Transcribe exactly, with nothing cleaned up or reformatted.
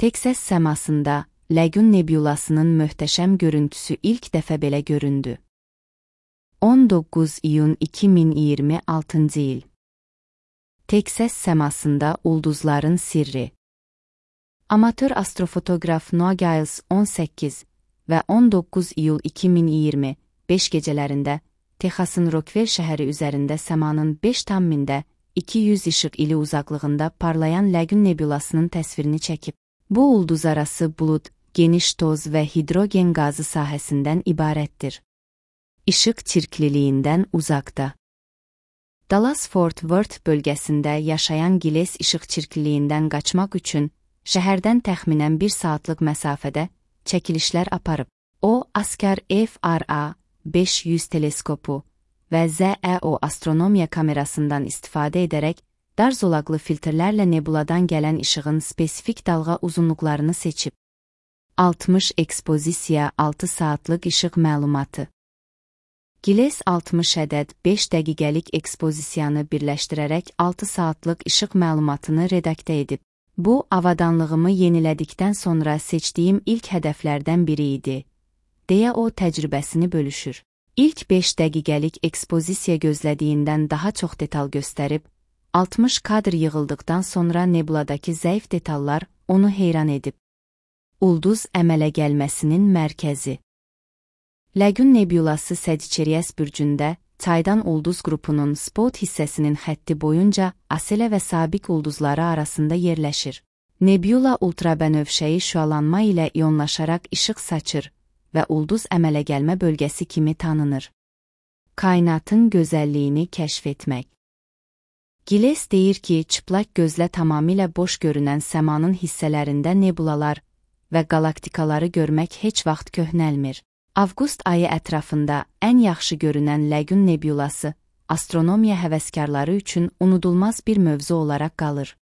Teksas səmasında Ləgun Nebulasının möhtəşəm görüntüsü ilk dəfə belə göründü. on doqquz iyun iki min iyirmi altıncı il. Teksas səmasında ulduzların sirri. Amatör astrofotoqraf Noah Giles on səkkiz və on doqquz iyul iki min iyirmi beş gecələrində Texasın Rockwell şəhəri üzərində səmanın beş tam mində iki yüz işıq ili uzaqlığında parlayan Ləgun Nebulasının təsvirini çəkib. Bu ulduzarası bulud, geniş toz və hidrogen qazı sahəsindən ibarətdir. İşıq çirkliliyindən uzaqda. Dallas-Fort Worth bölgəsində yaşayan Giles işıq çirkliliyindən qaçmaq üçün şəhərdən təxminən bir saatlıq məsafədə çəkilişlər aparıb. O, Askar F R A beş yüz teleskopu və Z E O astronomiya kamerasından istifadə edərək dar zolaqlı filtrlərlə nebuladan gələn işığın spesifik dalğa uzunluqlarını seçib. altmış ekspozisiya altı saatlıq işıq məlumatı. Giles altmış ədəd beş dəqiqəlik ekspozisiyanı birləşdirərək altı saatlıq işıq məlumatını redaktə edib. Bu, avadanlığımı yenilədikdən sonra seçdiyim ilk hədəflərdən biri idi, deyə o təcrübəsini bölüşür. İlk beş dəqiqəlik ekspozisiya gözlədiyindən daha çox detal göstərib, altmış kadr yığıldıqdan sonra nebuladakı zəif detallar onu heyran edib. Ulduz əmələ gəlməsinin mərkəzi. Ləgun Nebulası Sagittarius bürcündə, çaydan ulduz qrupunun spot hissəsinin xətti boyunca Asela və Sabiq ulduzları arasında yerləşir. Nebula ultrabənövşəyi şüalanma ilə iyonlaşaraq işıq saçır və ulduz əmələ gəlmə bölgəsi kimi tanınır. Kainatın gözəlliyini kəşf etmək. Giles deyir ki, çıplaq gözlə tamamilə boş görünən səmanın hissələrində nebulalar və qalaktikaları görmək heç vaxt köhnəlmir. Avqust ayı ətrafında ən yaxşı görünən Ləgun Nebulası astronomiya həvəskarları üçün unudulmaz bir mövzu olaraq qalır.